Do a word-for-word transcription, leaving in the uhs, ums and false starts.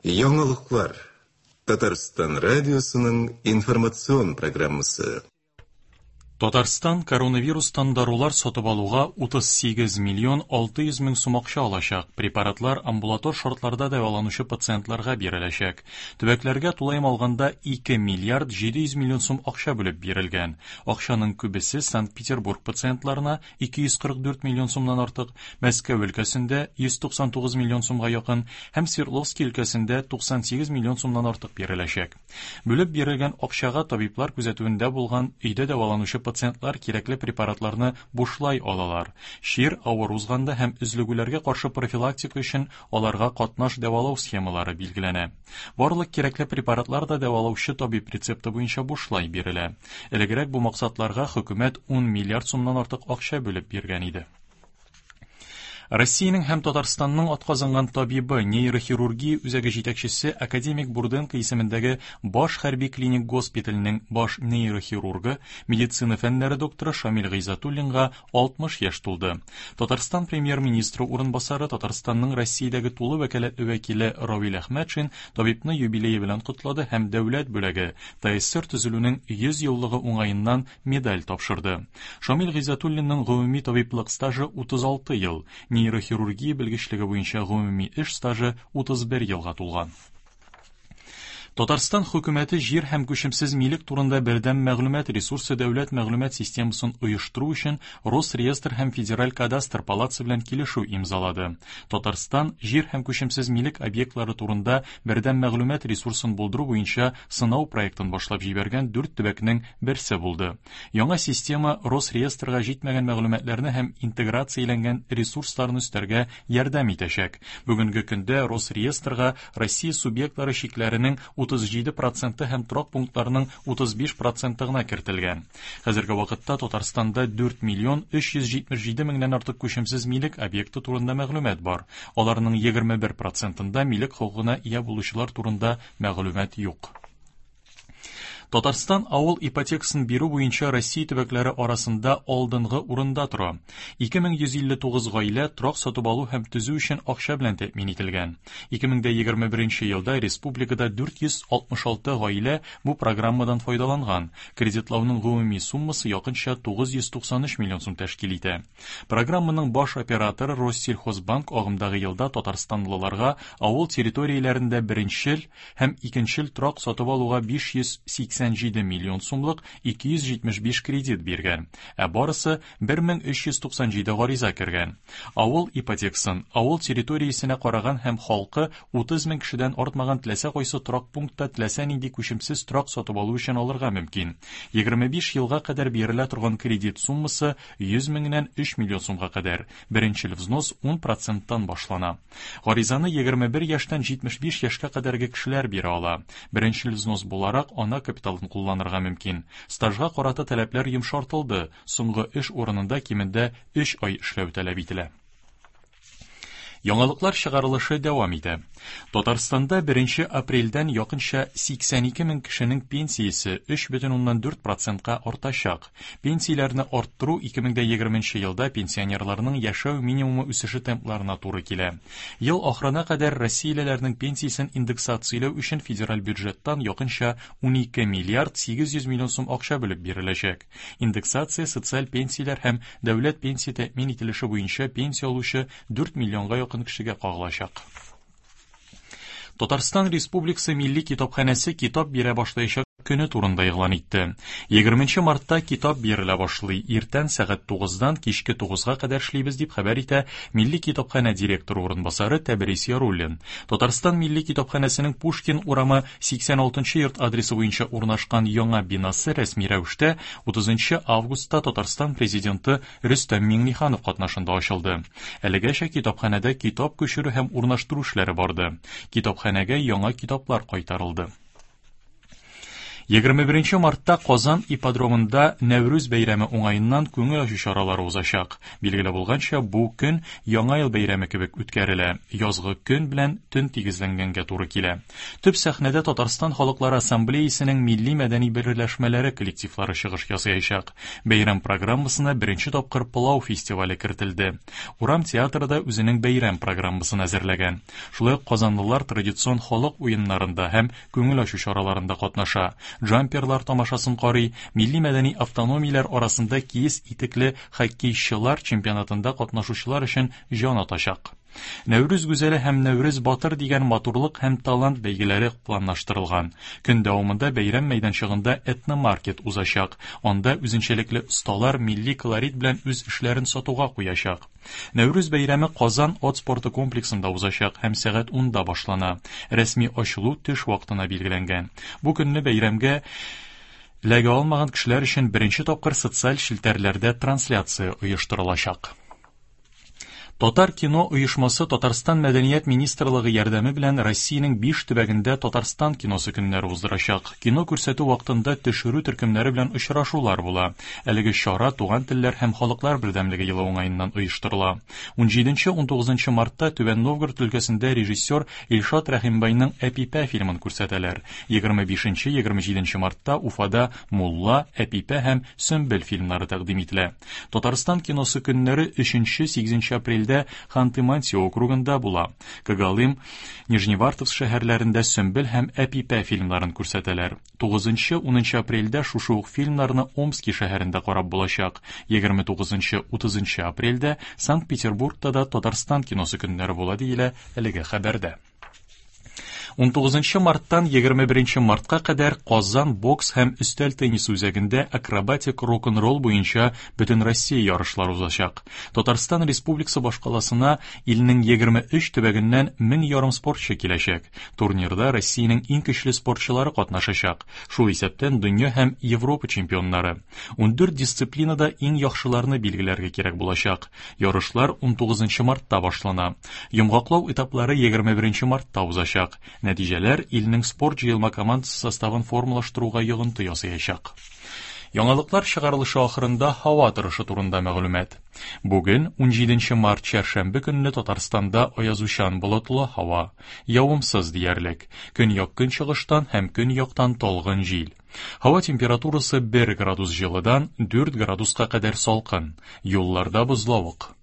Яңалыклар. Татарстан радиосының информацион программасы. Татарстан коронавирустан дарулар сатып алуга утыз сигез миллион алты йөз мең сум акча алачак. Препаратлар амбулатор шартларда дәваланучы пациентларга биреләчәк. Төбәкләргә тулаем алганда ике миллиард җиде йөз миллион сум акча бүлеп бирелгән. Акчаның күбесе Санкт-Петербург пациентларына ике йөз кырык дүрт миллион сумнан артык, Мәскәү өлкәсендә йөз туксан тугыз миллион сумга якын һәм Свердловский өлкәсендә туксан сигез миллион сумнан артык биреләчәк. Бүлеп бирелгән акчага табиблар күзәтүендә булган өйдә дәваланучы пациентлар кирәкле препаратларны бушлай алалар. Чир авыр узганда һәм өзлегүләргә каршы профилактика өчен аларга катнаш дәвалау схемалары билгеләнә. Барлык кирәкле препаратлар да дәвалаучы табиб рецепты буенча бушлай бирелә. Элегрәк бу максатларга хөкүмәт ун миллиард сумнан артык акча бүлеп биргән иде. Россиянең һәм Татарстанның атказанган табибы, нейрохирургия үзәге җитәкчесе академик Бурденко исемендәге баш хәрби клиник госпиталенең баш нейрохирургы, медицина фәннәре докторы Шамил Гыйззатуллинга алтмыш яшь тулды. Татарстан премьер-министры урынбасары, Татарстанның Россиядәге тулы вәкаләтле вәкиле Равил Әхмәтшин табибны юбилее белән котлады һәм дәүләт бүләге ТАССР төзелүнең йөз еллыгы уңаеннан медаль тапшырды. Шамил Гыйззатуллинның гомуми табиблык стажы утыз алты ел, нейрохирургия белгечлеге буенча гомуми эш стажы утыз бер елга тулган. Татарстан хөкүмәте җир һәм күчемсез милек турында бердәм мәгълүмат ресурсы дәүләт мәгълүмат системасын оештыру өчен Росреестр һәм Федераль кадастр палатасы белән килешү имзалады. Татарстан җир һәм күчемсез милек объектлары турында бердәм мәгълүмат ресурсын булдыру буенча сынау проектын башлап җибәргән дүрт төбәкнең берсе булды. Яңа система Росреестрга җитмәгән мәгълүматларны һәм интеграцияләнгән ресурсларны өстәргә ярдәм итәчәк. Бүгенге көндә Росреестрга Россия субъектлары чикләренең утыз җиде проценты һәм торак пунктларының утыз биш проценты гына кертелгән. Хәзерге вакытта Татарстанда дүрт миллион өч йөз җитмеш җиде меңнән артык күчемсез милек объекты турында мәгълүмат бар. Аларның егерме бер процентында милек хокукына ия булучылар турында мәгълүмат юк. Татарстан авыл ипотекасын бирү буенча Россия төбәкләре арасында алдынгы урында тора. Ике мең йөз илле тугыз гаилә торак сатып алу һәм төзү өчен акча белән тәэмин ителгән. Ике мең дә егерме беренче елда республикада дүрт йөз алтмыш алты гаилә бу программадан файдаланган. Кредитлауның гомуми суммасы якынча тугыз йөз туксан өч миллион сум тәшкил итә. Программаның баш операторы Россельхозбанк агымдагы елда татарстанлыларга авыл территорияләрендә беренчел һәм икенчел торак сатып алуга биш йөз сиксән җиде миллион сумлык ике йөз җитмеш биш кредит биргән, ә барысы бер мең өч йөз туксан җиде гариза кергән. Авыл ипотекасын авыл территориясенә караган һәм халкы утыз мең кешедән артмаган теләсә кайсы торак пунктта теләсә нинди күчемсез торак сатып алу өчен алырга мөмкин. Егерме биш елга кадәр бирелә торган кредит суммасы йөз меңнән өч миллион сумга кадәр. Беренчел взнос ун проценттан башлана. Гаризаны егерме бер яшьтән җитмеш биш яшькә кадәрге кешеләр бирә ала. Беренчел взнос буларак ана капиталын кулланырга мөмкин. Стажга карата таләпләр йомшартылды. Соңгы эш урынында кимендә өч ай эшләү таләп ителә. Яңалыклар чыгарылышы дәвам итә. Татарстанда беренче апрельдән якынча сиксән ике мең кешенең пенсиясе өч бөтен уннан дүрт процентка артачак. Пенсияләрне арттыру ике мең дә егерменче елда пенсионерларның яшәү минимумы үсеше темпларына туры килә. Ел ахырына кадәр россиялеләрнең пенсиясен индексацияләү өчен федераль бюджеттан якынча унике миллиард сигез йөз миллион сум акча бүлеп биреләчәк. Индексация социаль пенсияләр һәм дәүләт пенсия тәэмин ителеше буенча пенсия алучы дүрт миллионга якын кешегә кагылачак. Татарстан Республикасы Милли китапханәсе китап бирә башлаячак көне турында игълан итте. Егерменче мартта китап бирелә башлый. Иртән сәгать тугыздан кичке тугызга кадәр эшлибез дип хәбәр итә Милли китапханә директоры урынбасары Тәбрис Яруллин. Татарстан Милли китапханәсенең Пушкин урамы сиксән алтынчы йорт адресы буенча урнашкан яңа бинасы рәсми рәвештә утызынчы августта Татарстан президенты Рөстәм Миңнеханов катнашында ачылды. Әлегәчә китапханәдә китап күчерү һәм урнаштыру эшләре барды. Китапханәгә яңа китаплар кайтарылды. Егерме беренче мартта Казан ипподромында Нәүрүз бәйрәме уңаеннан күңел ачу чаралары узачак. Билгеле булганча, бу көн Яңа ел бәйрәме кебек үткәрелә. Язгы көн белән төн тигезләнгәнгә туры килә. Төп сәхнәдә Татарстан Халыклары Ассамблеясының милли мәдәни берләшмәләре коллективлары чыгыш ясаячак. Бәйрәм программасына беренче тапкыр Пылау фестивале кертелде. Урам театры да үзенең бәйрәм программасын әзерләгән. Шулай ук казанлылар традицион халык уеннарында һәм күңел ачу чараларында катнаша. Джамперлар тамашасын карый, милли мәдәни автономияләр арасында киез итекле хоккейчылар чемпионатында катнашучылар өчен җан атачак. Нәүрүз гүзәле һәм Нәүрүз батыр дигән матурлык һәм талант бәйгеләре планлаштырылган. Көн дәвамында бәйрәм мәйданчыгында этномаркет узачак. Анда үзенчәлекле осталар милли колорит белән үз эшләрен сатуга куячак. Нәүрүз бәйрәме Казан ат спорты комплексында узачак һәм сәгать унда башлана. Рәсми ачылу төш вакытына билгеләнгән. Бу көнне бәйрәмгә эләгә алмаган кешеләр өчен беренче тапкыр социаль челтәрләрдә трансляция оештырылачак. Татар кино оешмасы Татарстан Мәдәният министрлыгы ярдәме белән Россиянең биш төбәгендә Татарстан киносы көннәре уздырачак. Кино күрсәтү вакытында төшерү төркемнәре белән очрашулар була. Әлеге чара Туган телләр һәм халыклар бердәмлеге елы уңаеннан оештырыла. Унҗиденче унтугызынчы мартта Түбән Новгород өлкәсендә режиссер Илшат Рәхимбайның Әпипә фильмын күрсәтәләр. Егерме бишенче егерме җиденче мартта Уфада Мулла, Әпипә һәм Сөмбел фильмнары тәкъдим ителә. Татарстан киносы көннәре өченче сигезенче апрельдә Ханты-Мансийск округында була. Когалым, Нижневартовск шәһәрләрендә Сөмбел һәм Әпипә фильмнарын күрсәтәләр. Тугызынчы унынчы апрельдә шушы ук фильмнарны Омски шәһәрендә карап булачак. Егерме тугызынчы утызынчы апрельдә Санкт-Петербургта да Татарстан киносы көннәре була диелә әлеге хәбәрдә. Унтугызынчы марттан егерме беренче мартка кадәр Казан бокс һәм өстәл теннисы үзәгендә акробатик рок-н-ролл буенча бөтен Россия ярышлары узачак. Татарстан Республикасы башкаласына илнең егерме өч төбәгеннән мең ярым спортчы киләчәк. Турнирда Россиянең иң көчле спортчылары катнашачак. Шул исәптән дөнья һәм Европа чемпионнары. Ундүрт дисциплинада иң яхшыларны билгеләргә кирәк булачак. Ярышлар унтугызынчы мартта башлана. Йомгаклау этаплары егерме беренче мартта узачак. Нәтиҗәләр илнең спорт җыелма командасы составын формалаштыруга йогынты ясаячак. Яңалыклар чыгарылышы ахырында һава торышы турында мәгълүмат. Бүген унҗиденче март чәршәмбе көнне Татарстанда аязучан болытлы һава, явымсыз диярлек. Көньяк көнчыгыштан һәм көньяктан талгын җил. Һава температурасы бер градус җылыдан дүрт градуска кадәр салкын. Юлларда бозлавык.